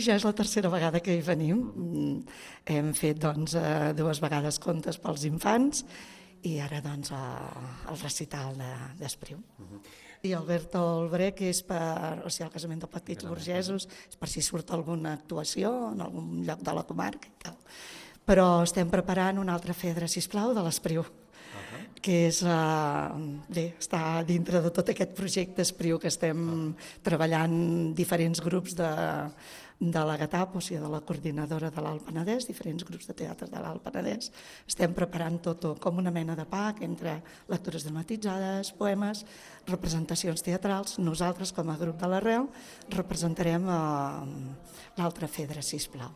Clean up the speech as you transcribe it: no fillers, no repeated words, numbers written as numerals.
Ja és la tercera vegada que hi venim. Hem fet 2 vegades contes pels infants i ara el recital d'Espriu. I Alberto Olbré, que és el casament de petits burgesos, és per si surt alguna actuació en algun lloc de la comarca i tal. Però estem preparant una altra Fedra, sisplau, de l'Espriu, que està dintre de tot aquest projecte Espriu que estem treballant diferents grups de la GATAP, o sigui, de la coordinadora de l'Alt Penedès, diferents grups de teatre de l'Alt Penedès. Estem preparant tot com una mena de pack entre lectures dramatitzades, poemes, representacions teatrals. Nosaltres, com a grup de l'Arrel, representarem l'altra Fedra, sisplau.